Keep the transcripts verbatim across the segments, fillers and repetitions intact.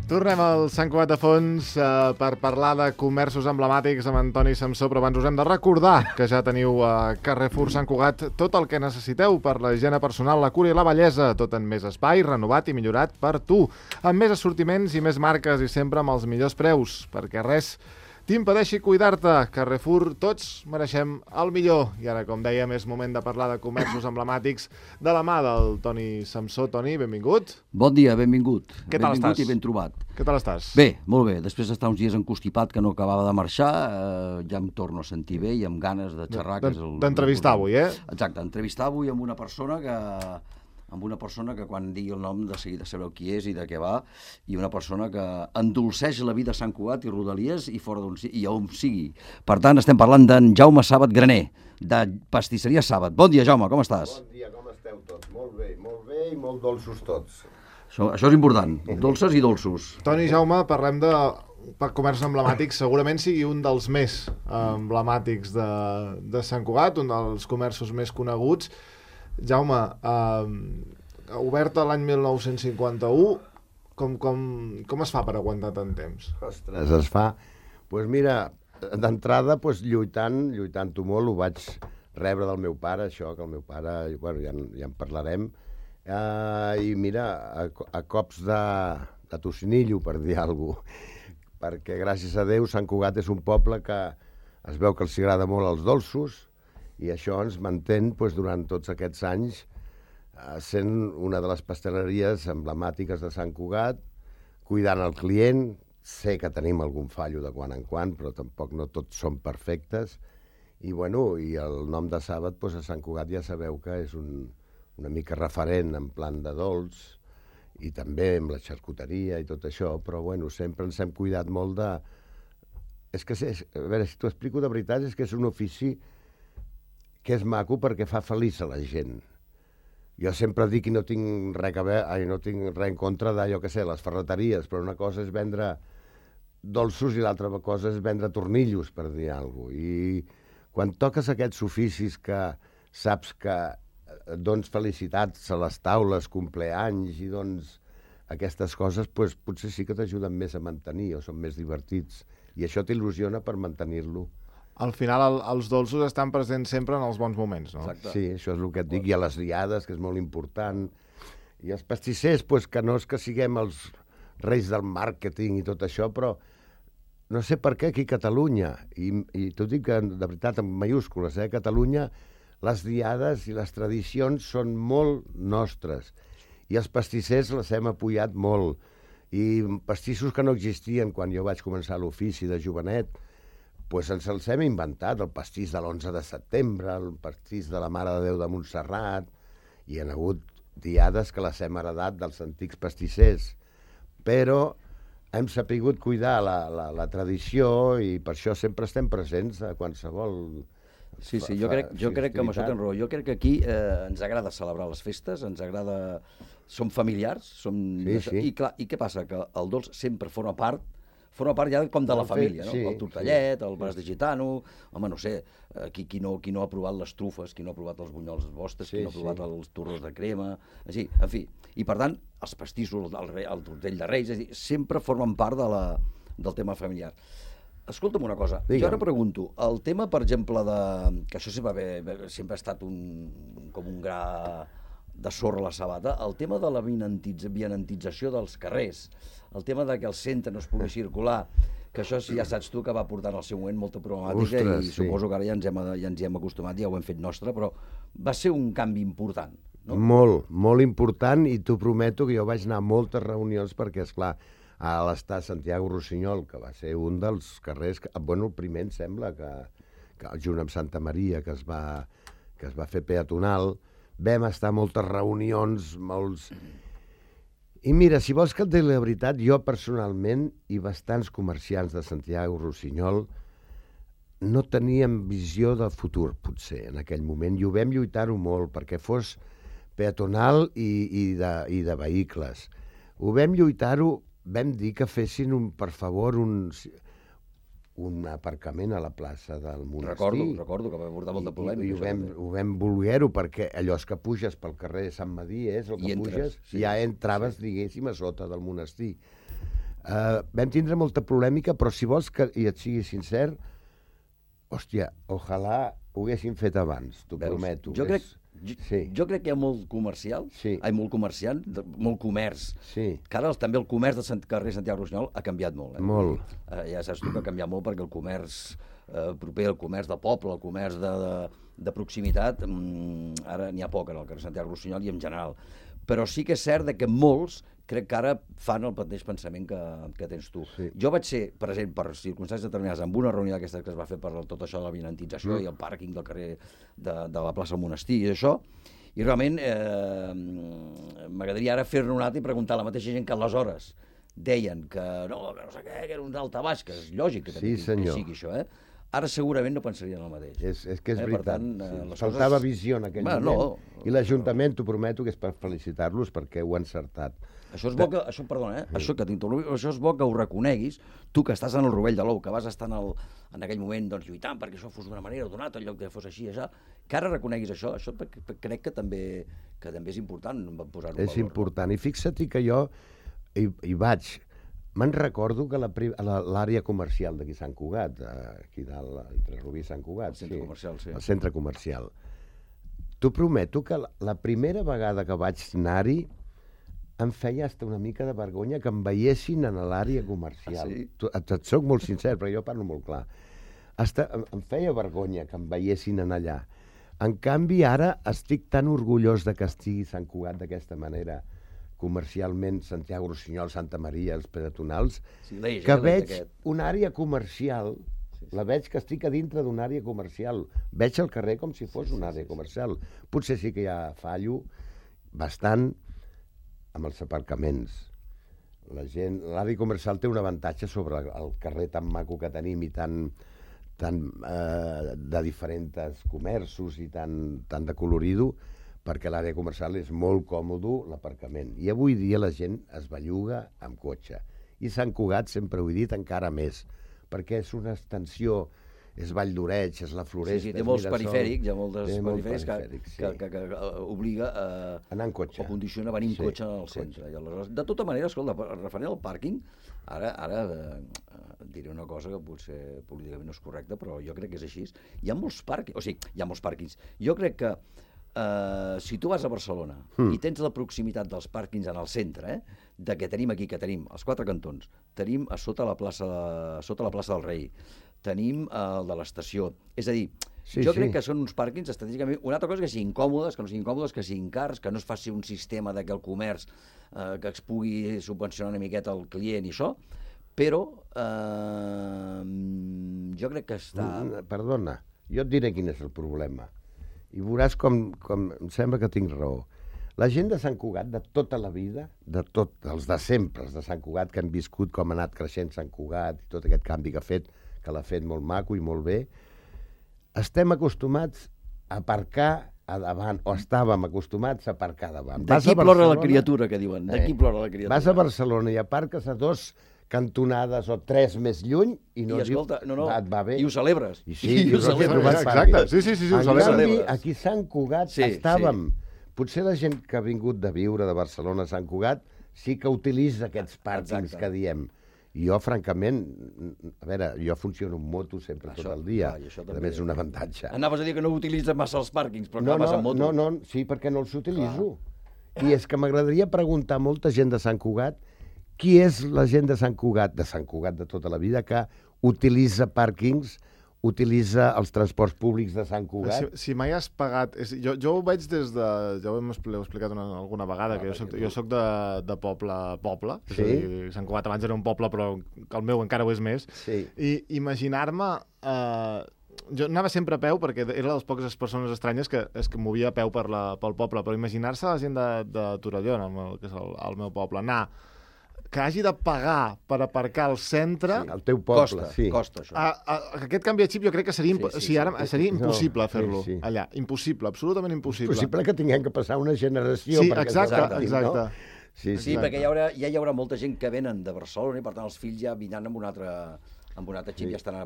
Tornem al Sant Cugat de Fons eh, per parlar de comerços emblemàtics amb Antoni Samsó, però abans us hem de recordar que ja teniu a Carrefour Sant Cugat tot el que necessiteu per la higiene personal, la cura i la bellesa, tot en més espai, renovat i millorat per tu, amb més assortiments i més marques i sempre amb els millors preus, perquè res t'impedeixi cuidar-te. Carrefour, tots mereixem el millor. I ara, com dèiem, és moment de parlar de comerços emblemàtics de la mà del Toni Samsó. Toni, benvingut. Bon dia, benvingut. Què tal benvingut estàs? I ben trobat. Què tal estàs? Bé, molt bé. Després d'estar uns dies encostipat que no acabava de marxar, eh, ja em torno a sentir bé i amb ganes de xerrar. D'entrevistar avui, eh? Exacte, entrevistar avui amb una persona que... amb una persona que quan digui el nom de seguida sabreu qui és i de què va, i una persona que endolceix la vida a Sant Cugat i Rodalies i fora d'on i on sigui. Per tant, estem parlant d'en Jaume Sàbat Graner, de Pastisseria Sàbat. Bon dia, Jaume, com estàs? Bon dia, com esteu tots? Molt bé, molt bé i molt dolços tots. Això, això és important, dolces i dolços. Toni, Jaume, parlem de per comerç emblemàtic, segurament sigui un dels més emblemàtics de, de Sant Cugat, un dels comerços més coneguts. Jaume, eh, oberta l'any mil nou-cents cinquanta-u, com, com, com es fa per aguantar tant temps? Ostres, es fa... Doncs pues mira, d'entrada pues, lluitant, lluitant-ho molt, ho vaig rebre del meu pare, això, que el meu pare, bueno, ja, ja en parlarem, eh, i mira, a, a cops de, de tocinillo, per dir alguna cosa, perquè gràcies a Déu Sant Cugat és un poble que es veu que els agrada molt els dolços, i això ens mantén doncs, durant tots aquests anys eh, sent una de les pasteleries emblemàtiques de Sant Cugat, cuidant el client. Sé que tenim algun fallo de quan en quan, però tampoc no tots són perfectes. I, bueno, i el nom de Sàbat doncs, a Sant Cugat ja sabeu que és un, una mica referent en plan de dolç, i també amb la xarcuteria i tot això, però bueno, sempre ens hem cuidat molt de... És que, és, a veure, si t'ho explico de veritat, és que és un ofici que és maco perquè fa feliç a la gent. Jo sempre dic que no tinc res, a veure, ai, no tinc res en contra d'allò que sé, les ferreteries, però una cosa és vendre dolços i l'altra cosa és vendre tornillos, per dir alguna cosa. I quan toques aquests oficis que saps que dones felicitats a les taules, compleanys i dones aquestes coses, doncs potser sí que t'ajuden més a mantenir o són més divertits. I això t'il·lusiona per mantenir-lo. Al final, el, els dolços estan presents sempre en els bons moments, no? Exacte. Sí, això és el que et dic. I a les diades, que és molt important. I els pastissers, pues, que no és que siguem els reis del màrqueting i tot això, però no sé per què aquí a Catalunya, i, i t'ho dic de veritat en mayúscules, eh, a Catalunya les diades i les tradicions són molt nostres. I els pastissers les hem apoyat molt. I pastissos que no existien quan jo vaig començar l'ofici de jovenet, pues ens els hem inventat, el pastís de l'onze de setembre, el pastís de la Mare de Déu de Montserrat, i hi ha hagut diades que les hem heredat dels antics pastissers, però hem sapigut cuidar la, la, la tradició i per això sempre estem presents a qualsevol... Sí, sí, jo crec, jo crec que amb això tens raó. Jo crec que aquí eh, ens agrada celebrar les festes, ens agrada... Som familiars, som... Sí, sí. I clar, i què passa? Que el dolç sempre forma part forma part ja com de la família, no? Sí, el tortellet, sí. el braç de gitano, home, no sé, qui, qui, no, qui no ha provat les trufes, qui no ha provat els bunyols vostres, sí, qui no ha provat sí. els torros de crema, així, en fi. I per tant, els pastissos, el, el tortell de Reis, és dir, sempre formen part de la, del tema familiar. Escolta'm una cosa, Digue'm. Jo ara pregunto, el tema, per exemple, de... que això sempre, bé, sempre ha estat un, com un gra de sorra a la sabata, el tema de la vianantització dels carrers, el tema de que el centre no es pugui circular, que això ja saps tu que va portar en el seu moment molta problemàtica. Ostres, i sí. Suposo que ara ja ens, hem, ja ens hi hem acostumat, ja ho hem fet nostre, però va ser un canvi important, no? Molt, molt important, i t'ho prometo que jo vaig anar a moltes reunions perquè, esclar, a l'estar Santiago Rossinyol, que va ser un dels carrers, que, bueno, el primer em sembla que, que junt amb Santa Maria, que es va, que es va fer peatonal, vam estar a moltes reunions, molts... I mira, si vols que et digui la veritat, jo personalment i bastants comerciants de Santiago Rossinyol no teníem visió de futur, potser, en aquell moment, i ho vam lluitar-ho molt perquè fos peatonal i, i, de, i de vehicles. Ho vam lluitar-ho, vam dir que fessin, un, per favor, un, un aparcament a la plaça del monestir. Recordo, recordo que va portar molta polèmica. I, i ho vam, ho vam voler-ho perquè allò és que puges pel carrer Sant Madí, és el que I entres, puges, sí. ja entraves, sí. diguéssim, a sota del monestir. Uh, vam tindre molta polèmica, però si vols que i et sigui sincer, hòstia, ojalà ho haguessin fet abans, t'ho prometo. Jo crec, jo, sí. jo crec que hi ha molt comercial, sí. ai, molt comerciant, molt comerç, sí. que ara també el comerç del carrer Santiago Rossinyol ha canviat molt. Eh? Molt. Eh, ja saps tu que ha canviat molt perquè el comerç eh, proper, el comerç de poble, el comerç de, de, de proximitat, mm, ara n'hi ha poc en el carrer Santiago Rossinyol i en general. Però sí que és cert que molts crec que ara fan el mateix pensament que, que tens tu. Sí. Jo vaig ser present per circumstàncies determinades en una reunió d'aquesta que es va fer per tot això de la vinentització mm. i el pàrquing del carrer de, de la plaça del Monestir i això, i realment eh, m'agradaria ara fer-ne un altre i preguntar a la mateixa gent que aleshores deien que no, que no sé què, que era un daltabaix, que és lògic que, sí, que, que sigui això, eh? Ara segurament no pensarien el mateix. És, és que és eh, veritat. Tant, eh, sí. Faltava coses... visió en aquell bueno, moment. No. I l'Ajuntament, t'ho prometo, que és per felicitar-los perquè ho han encertat. Això és bo que, això, perdona, eh? Sí. Això, que això és bo que ho reconeguis, tu que estàs en el rovell de l'ou, que vas estar en, el, en aquell moment doncs, lluitant perquè això fos d'una manera o d'una altra, en lloc que fos així, això, que ara reconeguis això, això crec que també, que també és important posar-ho en valor. És important, no? I fixa't que jo hi, hi vaig... Me'n recordo que l'àrea comercial d'aquí Sant Cugat, aquí dalt, entre Rubí i Sant Cugat, el centre sí, comercial, sí. El centre comercial. T'ho prometo que la, la primera vegada que vaig anar-hi em feia hasta una mica de vergonya que em veiessin en l'àrea comercial. Ah, sí? Et, et soc molt sincer, però jo parlo molt clar. Hasta, em, em feia vergonya que em veiessin en allà. En canvi, ara estic tan orgullós de que estigui Sant Cugat d'aquesta manera, comercialment, Santiago Rossinyol, Santa Maria, els peatonals, sí, l'eix, que eh, veig una àrea comercial, sí, sí. La veig que estic a dintre d'una àrea comercial. Veig el carrer com si fos sí, una àrea sí, comercial. Sí. Potser sí que hi ha fallo bastant amb els aparcaments. La gent, l'àrea comercial té un avantatge sobre el carrer tan maco que tenim i tan, tan eh, de diferents comerços i tan, tan de colorido, perquè l'àrea comercial és molt còmode, l'aparcament. I avui dia la gent es belluga amb cotxe. I Sant Cugat, sempre ho he dit, encara més, perquè és una extensió, és Vall d'Oreig, és la Floresta... Sí, sí, té molts perifèrics, hi ha molts perifèrics que, sí. que, que, que obliga a... anar en cotxe. O condiciona venir en sí, cotxe al centre. I aleshores, de tota manera, escolta, referent al pàrquing, ara, ara eh, diré una cosa que potser políticament no és correcta, però jo crec que és així. Hi ha molts pàrquings, o sigui, hi ha molts pàrquings. Jo crec que Uh, si tu vas a Barcelona mm. i tens la proximitat dels pàrquings en el centre, eh, de que tenim aquí, que tenim els quatre cantons, tenim a sota la plaça, de, sota la plaça del Rei, tenim el de l'estació, és a dir, sí, jo sí. crec que són uns pàrquings estratègicament... Una altra cosa que siguin còmodes, que no siguin còmodes, que siguin cars, que no es faci un sistema de que el comerç eh, que es pugui subvencionar una miqueta al client i això, però eh, jo crec que està... Perdona, jo et diré quin és el problema. I veuràs com, com em sembla que tinc raó. La gent de Sant Cugat, de tota la vida, de tot, els de sempre, els de Sant Cugat, que han viscut com ha anat creixent Sant Cugat i tot aquest canvi que ha fet, que l'ha fet molt maco i molt bé, estem acostumats a aparcar a davant, o estàvem acostumats a aparcar davant. D'aquí plora la criatura, que diuen. D'aquí eh, plora la criatura. Vas a Barcelona i aparques a dos cantonades o tres més lluny i no I escolta, dius, no, no, va, et va bé. I ho celebres. I sí, I, i ho celebres. Exacte, sí, sí, sí, sí ho en celebres. canvi, aquí a Sant Cugat sí, estàvem. Sí. Potser la gent que ha vingut de viure de Barcelona a Sant Cugat sí que utilitza aquests pàrquings Exacte. Que diem. I jo, francament, a veure, jo funciono en moto sempre això, tot el dia. Clar, a més, és un avantatge. Anaves a dir que no utilitzes massa els pàrquings, però no, no, vas no, en moto. No, no, sí, perquè no els utilitzo. Clar. I és que m'agradaria preguntar a molta gent de Sant Cugat qui és la gent de Sant Cugat, de Sant Cugat de tota la vida, que utilitza pàrquings, utilitza els transports públics de Sant Cugat. Si, si mai has pagat... És, jo, jo ho veig des de... Ja ho hem explicat una, alguna vegada, ah, que jo soc, jo soc de, de poble poble. Sí? És a dir, Sant Cugat abans era un poble, però el meu encara ho és més. Sí. I imaginar-me... Eh, jo anava sempre a peu, perquè era de les poques persones estranyes que es que movia a peu per la, pel poble, però imaginar-se la gent de, de Torelló, el, que és el, el meu poble, anar que hagi de pagar per aparcar al centre... Sí, al teu poble, costa, sí. Costa, això. A, a, aquest canvi de xip jo crec que seria, sí, sí, sí, ara, sí, seria impossible no, fer-lo sí, sí. allà. Impossible, absolutament impossible. Impossible que tinguem que passar una generació sí, perquè exacte, exacte, exacte. No? Sí, sí, sí, perquè hi haurà, ja hi haurà molta gent que venen de Barcelona i per tant els fills ja vindran amb una altra... amb un altre xip sí. ja estan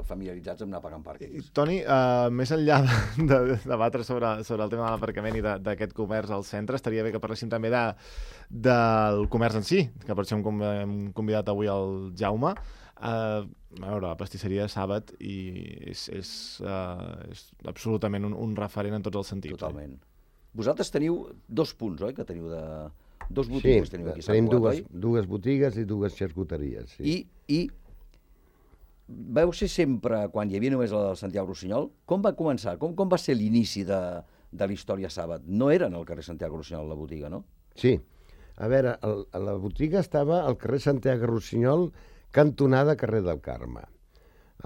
familiaritzats amb anar pagant pàrquings. Toni, uh, més enllà de, de, de debatre sobre, sobre el tema de l'aparcament i d'aquest comerç al centre, estaria bé que parléssim també de, del comerç en si, que per això hem, hem convidat avui el Jaume. Uh, a veure, la pastisseria de Sàbat i és, és, uh, és absolutament un, un referent en tots els sentits. Totalment. Eh? Vosaltres teniu dos punts, oi? Que teniu de... Dos botigues sí, teniu aquí. Sí, tenim Cugat, dues, dues botigues i dues xarcuteries. Sí. I, I vau ser sempre, quan hi havia només el Santiago Rossinyol, com va començar? Com, com va ser l'inici de, de la història Sàbat? No era en el carrer Santiago Rossinyol la botiga, no? Sí. A veure, el, la botiga estava al carrer Santiago Rossinyol, cantonada carrer del Carme.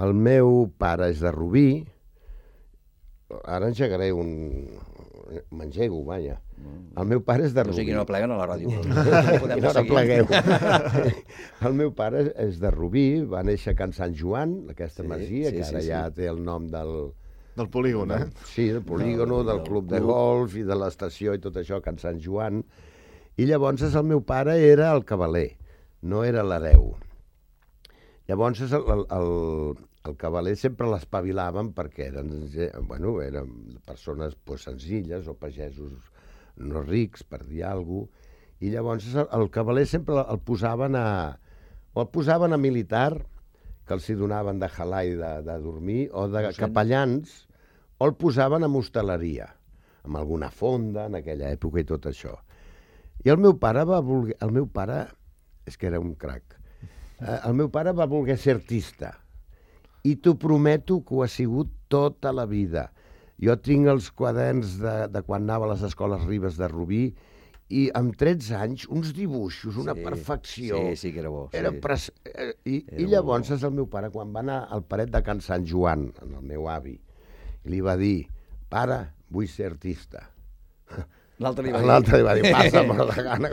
El meu pare és de Rubí. Ara engegaré un... M'engego, vaja. El meu pare és de Rubí. No sé qui no pleguen a la ràdio. I no plegueu. El meu pare és de Rubí, va néixer a Can Sant Joan, aquesta sí, masia, sí, que ara sí, ja sí. té el nom del... Del polígon, eh? Sí, del polígon, del, del club de golf i de l'estació i tot això, Can Sant Joan. I llavors el meu pare era el cavaler, no era l'hereu. Llavors el, el, el, el cavaler sempre l'espavilaven perquè eren, bueno, eren persones pues, senzilles o pagesos no rics, per dir alguna cosa, i llavors el, el cavaler sempre el posaven a... o el posaven a militar, que els hi donaven de halai de, de dormir, o de capellans, o el posaven a hostaleria, amb alguna fonda en aquella època i tot això. I el meu pare va voler... El meu pare és que era un crac. El meu pare va voler ser artista i t'ho prometo que ho ha sigut tota la vida. Jo tinc els quaderns de, de quan anava a les escoles Ribes de Rubí i amb tretze anys uns dibuixos, una sí, perfecció. Sí, sí que era bo. Sí. Era pres... I, era I llavors és el meu pare, quan va anar al paret de Can Sant Joan, en el meu avi, li va dir, pare, vull ser artista. L'altre li va dir... L'altre li va dir, passa, mort de gana,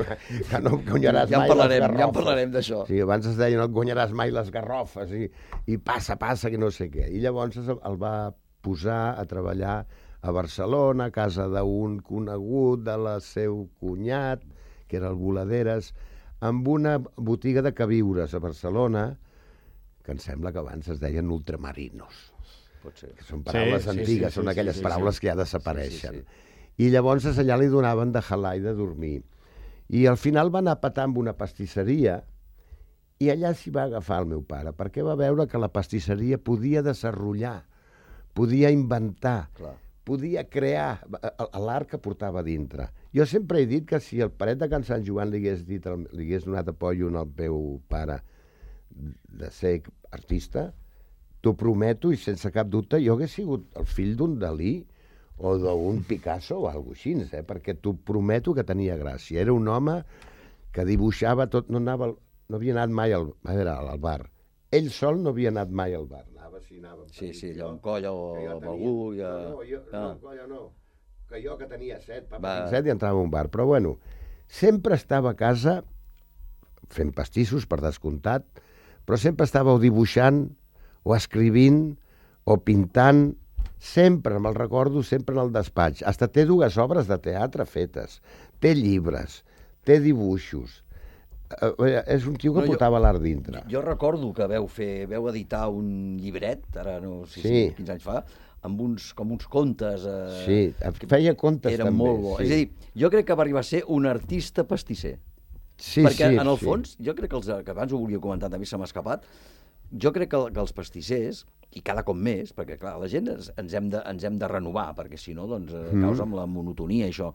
que no guanyaràs ja mai parlarem, les garrofes. Ja en parlarem d'això. Sí, abans es deia, no et guanyaràs mai les garrofes, i, i passa, passa, que no sé què. I llavors el va posar a treballar a Barcelona, a casa d'un conegut de la seu cunyat, que era el Voladeres, amb una botiga de queviures a Barcelona, que em sembla que abans es deien ultramarinos. Pot ser. Que són paraules sí, antigues, sí, sí, són sí, aquelles sí, paraules sí. que ja desapareixen. Sí, sí, sí. I llavors allà li donaven de halai de dormir. I al final va anar a petar amb una pastisseria i allà s'hi va agafar el meu pare, perquè va veure que la pastisseria podia desenrotllar, podia inventar, Clar. podia crear l'art que portava dintre. Jo sempre he dit que si el paret de Can Sant Joan li hagués, dit, li hagués donat apoyo al meu pare de ser artista, t'ho prometo i sense cap dubte jo hagués sigut el fill d'un Dalí o d'un Picasso o alguna cosa així, eh? Perquè t'ho prometo que tenia gràcia. Era un home que dibuixava tot, no, anava, no havia anat mai al, a veure, al bar. Ell sol no havia anat mai al bar. Anava, sí, anava sí, sí, allò amb colla o amb algú. Ja... No, no, jo, ah. no, colla no. Que jo que tenia set, papa, Va. set i entrava a un bar. Però bueno, sempre estava a casa fent pastissos, per descomptat, però sempre estava o dibuixant, o escrivint, o pintant. Sempre, me'l recordo, sempre en el despatx. Hasta té dues obres de teatre fetes. Té llibres, té dibuixos. Eh, és un tio que no, portava l'art dintre. Jo recordo que veu fer, veu editar un llibret, ara no sé sí. si quins anys fa, amb uns, com uns contes... Eh, sí, feia contes eren també. Molt bo. Sí. És a dir, jo crec que va arribar a ser un artista pastisser. Sí, Perquè sí, en el sí. fons, jo crec que, els, que abans ho volia comentar, també se m'ha escapat, jo crec que, que els pastissers, i cada cop més, perquè clar, la gent ens, ens, hem, de, ens hem de renovar, perquè si no, doncs, mm. causa amb la monotonia, això.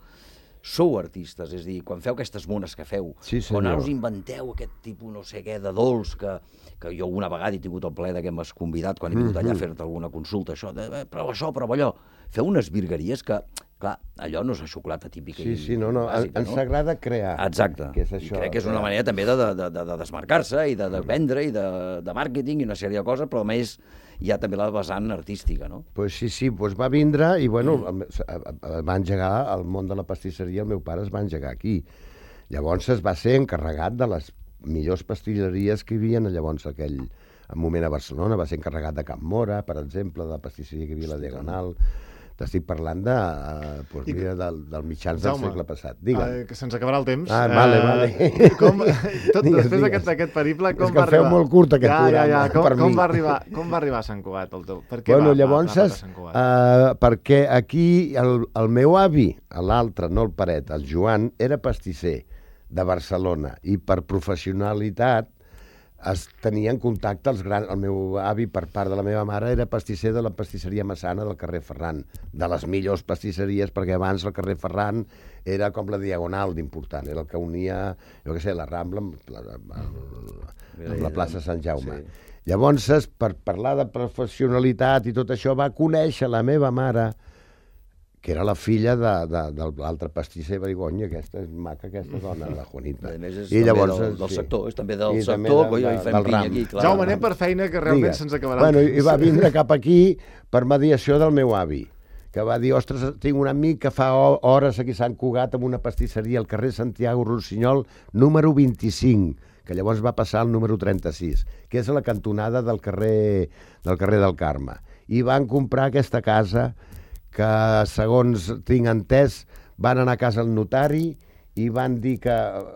Sou artistes, és a dir, quan feu aquestes mones que feu, sí, quan ara us inventeu aquest tipus, no sé què, de dolç, que, que jo una vegada he tingut el plaer que m'has convidat, quan he vingut allà a fer-te alguna consulta, això, de, eh, prova això, prova allò. Feu unes virgueries que, clar, allò no és la xocolata típica. Sí, sí, no, no, bàsica, ens no? agrada crear. Exacte, que és això, i crec que és una manera també de, de, de, de desmarcar-se i de, de vendre i de, de màrqueting i una sèrie de coses, però a més hi ha també la vessant artística, no? Pues sí, sí, pues va vindre i, bueno, mm. va engegar el món de la pastisseria, el meu pare es va engegar aquí. Llavors es va ser encarregat de les millors pastilleries que hi havia llavors aquell moment a Barcelona, va ser encarregat de Can Mora, per exemple, de la pastisseria que hi havia a la Diagonal, T'estic parlant de, uh, pues I... mira, del, del mitjans Jaume, del segle passat. Digue'm. Uh, que se'ns acabarà el temps. Ah, vale, uh, vale. Com, tot Digues, després digues. d'aquest periple, com És que va arribar? feu molt curt aquest ja, programa, ja, ja. Com, per com, mi. va arribar, com va arribar a Sant Cugat? El teu? Per què Bueno, va, llavors, va, va a Sant Cugat? uh, perquè aquí el, el meu avi, l'altre, no el paret, el Joan, era pastisser de Barcelona i per professionalitat es tenia en contacte els grans... El meu avi, per part de la meva mare, era pastisser de la pastisseria Massana del carrer Ferran, de les millors pastisseries, perquè abans el carrer Ferran era com la diagonal d'important, era el que unia, jo què sé, la Rambla amb la, amb la plaça Sant Jaume. Sí. Llavors, per parlar de professionalitat i tot això, va conèixer la meva mare, que era la filla de, de, de l'altre pastisser Barigonya, aquesta és maca, aquesta dona, la Juanita. A més, és I llavors, del, del sí. sector, és també del I sector, també de, coi, de, hi fem pinya aquí, clar. Jaume, anem per feina, que realment se'ns acabarà. Bueno, i va vindre cap aquí per mediació del meu avi, que va dir, ostres, tinc un amic que fa hores aquí a Sant Cugat amb una pastisseria al carrer Santiago Rossinyol, número vint-i-cinc, que llavors va passar al número trenta-sis, que és a la cantonada del carrer del, carrer del Carme. I van comprar aquesta casa que, segons tinc entès, van anar a casa al notari i van dir que...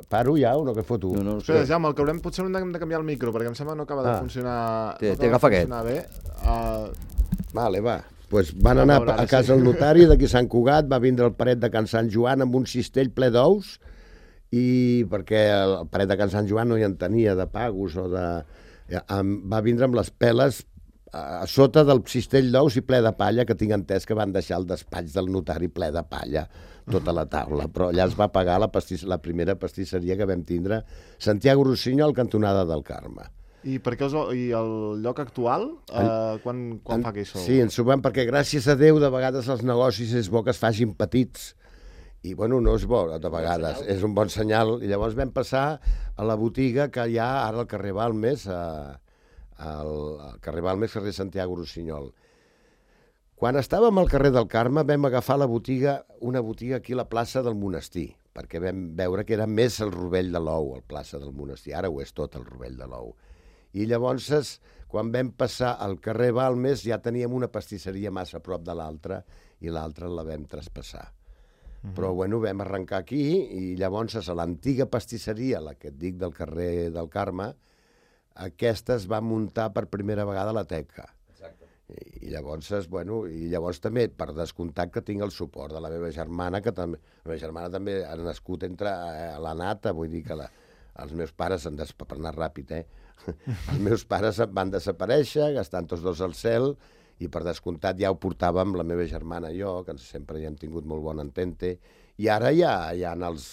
Paro ja o no, que foto? No, no, Espera, Jaume, el que haurem, potser haurem de canviar el micro, perquè em sembla que no acaba de Ah. funcionar... Té- no té, acaba agafa de aquest. funcionar bé. Uh, Vale, va. Pues van anar veure, a casa sí. al notari d'aquí a Sant Cugat, va vindre el paret de Can Sant Joan amb un cistell ple d'ous, i perquè el paret de Can Sant Joan no hi en tenia de pagos o de... Va vindre amb les peles a sota del cistell d'ous i ple de palla, que tinc entès que van deixar el despatx del notari ple de palla, tota la taula. Però allà es va pagar la, pastis, la primera pastisseria que vam tindre, Santiago Rossinyol, cantonada del Carme. I per què us, i el lloc actual, uh, quan, quan En, fa que hi sou? sí, ens ho vam, perquè gràcies a Déu de vegades els negocis és bo que es facin petits, i bueno, no és bo de vegades, és un bon senyal. I llavors vam passar a la botiga que hi ha ara al carrer Balmes, a, al, al carrer Balmes, carrer Santiago Rossinyol. Quan estàvem al carrer del Carme vam agafar la botiga, una botiga aquí a la plaça del Monestir, perquè vam veure que era més el Rovell de l'Ou, el plaça del Monestir, ara ho és tot el Rovell de l'Ou. I llavors, quan vam passar al carrer Balmes, ja teníem una pastisseria massa a prop de l'altra, i l'altra la vam traspassar. Mm-hmm. Però, bueno, vam arrencar aquí, i llavors a l'antiga pastisseria, la que et dic del carrer del Carme, aquesta es va muntar per primera vegada a la Teca. Exacte. I, i llavors, bueno, i llavors també, per descomptat, que tinc el suport de la meva germana, que també, la meva germana també ha nascut entre eh, la nata, vull dir que la, els meus pares, han des... per anar ràpid, eh? Els meus pares van desaparèixer, estan tots dos al cel, i per descomptat ja ho portàvem la meva germana i jo, que sempre hi hem tingut molt bon entente, i ara ja hi ha els,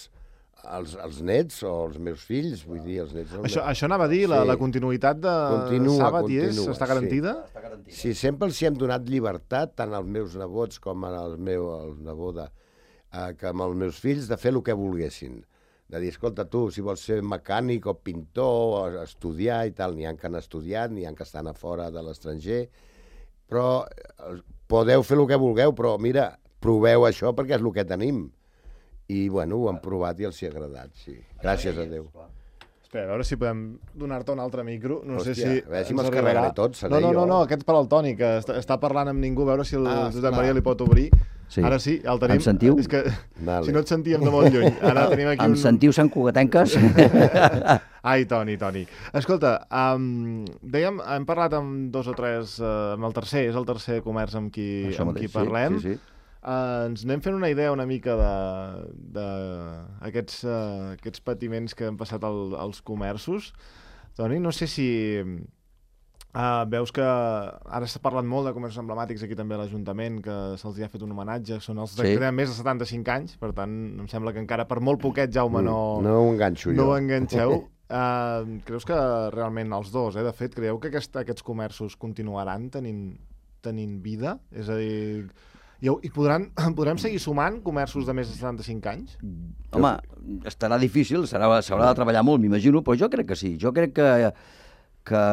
els, els nets o els meus fills, vull dir, els nets... Això, això anava a dir, la, Sí. la continuïtat de Continua, Sàbat i és, continua, està garantida? sí. Està garantit. Sí, sempre els hi hem donat llibertat, tant als meus nebots com al meu el nebot de, eh, que amb els meus fills, de fer el que volguessin. De dir, escolta, tu, si vols ser mecànic o pintor o estudiar i tal, n'hi ha que han estudiat, n'hi ha que estan a fora de l'estranger, però eh, podeu fer el que vulgueu, però mira, proveu això perquè és el que tenim. I, bueno, ho han provat i els hi ha agradat, sí. Gràcies a Déu. Espera, a veure si podem donar-te un altre micro. No Hòstia, sé si... a veure si ens me'ls arribarà. carregaré tots, seré No, no, no, jo. no, aquest per al Toni, que està, està parlant amb ningú, a veure si el Ah, Josep clar. Maria li pot obrir. Sí. Ara sí, el tenim. Em sentiu? És que Vale. si no et sentíem de molt lluny. Ara tenim aquí Em un... sentiu Sant Cugatenques? Ai, Toni, Toni. Escolta, um, dèiem, hem parlat amb dos o tres, uh, amb el tercer, és el tercer comerç amb qui, Això amb mateix, qui sí, parlem. sí, sí. Uh, ens anem fent una idea una mica d'aquests uh, aquests patiments que han passat al, als comerços. Toni, no sé si uh, veus que ara s'ha parlat molt de comerços emblemàtics aquí també a l'Ajuntament, que se'ls ha fet un homenatge, són els de Sí. que tenen més de setanta-cinc anys, per tant, em sembla que encara per molt poquet, Jaume, no, No ho enganxo jo. no ho enganxeu. Uh, creus que realment els dos, eh, de fet, creieu que aquest, aquests comerços continuaran tenint, tenint vida? És a dir, i, i podran, podrem seguir sumant comerços de més de setanta-cinc anys? Home, estarà difícil, s'haurà de treballar molt, m'imagino, però jo crec que sí. Jo crec que, que,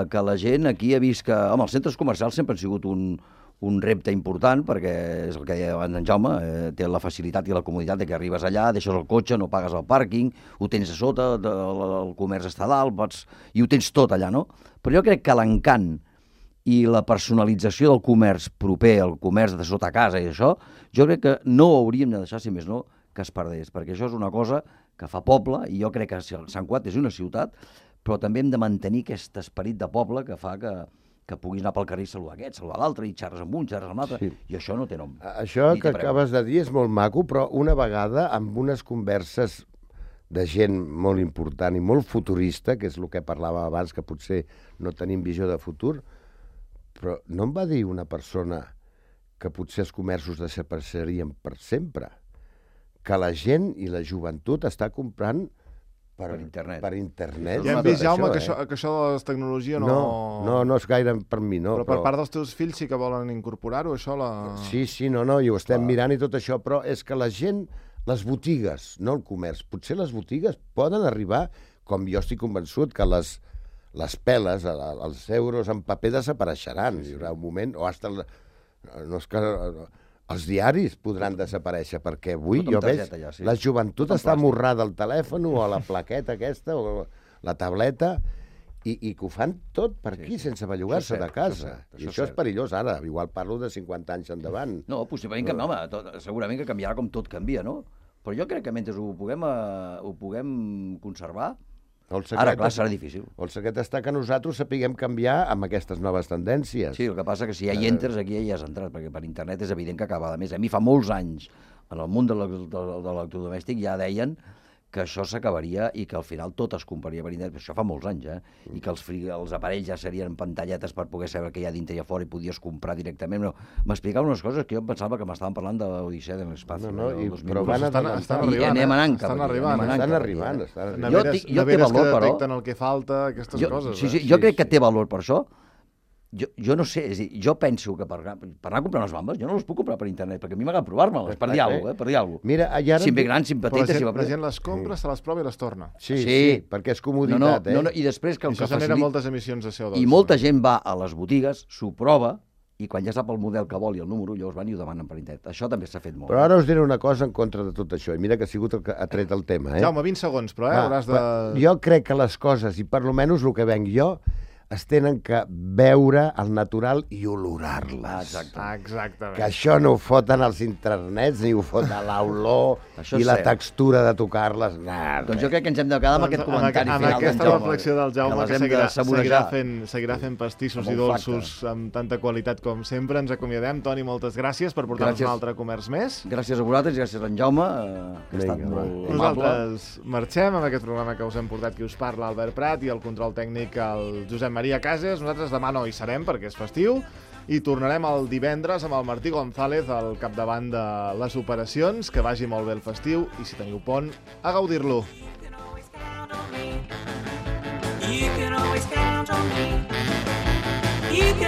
que la gent aquí ha vist que... Home, els centres comercials sempre han sigut un, un repte important, perquè és el que deia abans en Jaume, eh, té la facilitat i la comoditat de que arribes allà, deixes el cotxe, no pagues el pàrquing, ho tens a sota, de, el, el comerç està a dalt, pots, i ho tens tot allà, no? Però jo crec que l'encant i la personalització del comerç proper, el comerç de sota casa i això, jo crec que no ho hauríem de deixar, si més no, que es perdés, perquè això és una cosa que fa poble, i jo crec que Sant Cugat és una ciutat, però també hem de mantenir aquest esperit de poble que fa que, que puguis anar pel carrer i saludar aquest, saludar l'altre, i xerres amb un, xerres amb l'altre, sí. I això no té nom. Això que acabes de dir és molt maco, però una vegada, amb unes converses de gent molt important i molt futurista, que és el que parlava abans, que potser no tenim visió de futur, però no em va dir una persona que potser els comerços desapareixerien per sempre, que la gent i la joventut està comprant per, per internet. Per internet. Ja hem vist, Jaume, que, això, eh? que això de la tecnologia no... No, no, no és gaire per mi, no. Però per però... part dels teus fills sí que volen incorporar-ho, això? La... Sí, sí, no, no, i ho estem ah. mirant i tot això, però és que la gent, les botigues, no el comerç, potser les botigues poden arribar, com jo estic convençut, que les, les peles, els euros en paper desapareixeran. Hi haurà un moment, o hasta... El, no és que... Els diaris podran desaparèixer, perquè avui jo veig ja, sí. La joventut està morrada al telèfon o a la plaqueta aquesta o la tableta i, i que ho fan tot per aquí, sí, sense bellugar-se de casa. Això, cert, I això és perillós ara, igual parlo de cinquanta anys endavant. No, possiblement que no, home, tot, segurament que canviarà com tot canvia, no? Però jo crec que mentre ho puguem, uh, ho puguem conservar, ara, clar, serà difícil. El secret està que nosaltres sapiguem canviar amb aquestes noves tendències. Sí, el que passa que si ja hi entres, aquí ja hi has entrat, perquè per internet és evident que acaba. A més, a mi fa molts anys, en el món de l'electrodomèstic ja deien que això s'acabaria i que al final tot es compraria per internet. Això fa molts anys, eh? I que els, els aparells ja serien pantalletes per poder saber què hi ha dintre i a fora i podies comprar directament. No, m'explicaven unes coses que jo pensava que m'estaven parlant de l'Odissea de l'Espaci. No, no, i, però van estan, estan arribant, I anem anant cap estan aquí. Arribant, anem estan arribant, estan arribant. Jo, jo, jo té valor, però... detecten el que falta, aquestes jo, coses. Sí, sí, eh? jo crec que té valor per això. Jo, jo no sé, és dir, jo penso que per, per anar a comprar unes bambes, jo no les puc comprar per internet, perquè a mi m'agrada provar-me-les, per dir alguna cosa, eh? Per dir alguna cosa. Mira, ara... Si em ve grans, si em petites... Però la gent, si la gent les compra, sí. Se les prova i les torna. Sí, sí, sí, perquè és comoditat, no, no, eh? No, no, i després que el I això que genera facilita... moltes emissions de C O dos. I molta gent va a les botigues, s'ho prova, i quan ja sap el model que vol i el número, llavors van i ho demanen per internet. Això també s'ha fet molt. Però ara us diré una cosa en contra de tot això, i mira que ha sigut el que ha tret el tema, eh? Jaume, vint segons, però, eh? Ah, hauràs de... Jo crec que les coses, i per lo menys el que venc jo, es tenen que veure al natural i olorar-les. Ah, exactament. Que això no ho foten als internets, ni ho foten a l'olor i la textura de tocar-les. Nah, doncs jo crec que ens hem de quedar amb doncs, aquest comentari amb final aquesta d'en Jaume. reflexió del Jaume, que, que seguirà, seguirà, fent, seguirà fent pastissos i dolços flacte. Amb tanta qualitat com sempre. Ens acomiadem. Toni, moltes gràcies per portar-nos un altre comerç més. Gràcies a vosaltres i gràcies a en Jaume, que ha estat molt amable. Nosaltres marxem amb aquest programa que us hem portat, qui us parla, Albert Prat, i el control tècnic, el Josep Maria Cases. Nosaltres demà no hi serem perquè és festiu i tornarem el divendres amb el Martí González al capdavant de les operacions. Que vagi molt bé el festiu i si teniu pont, a gaudir-lo. You can always count on me. You can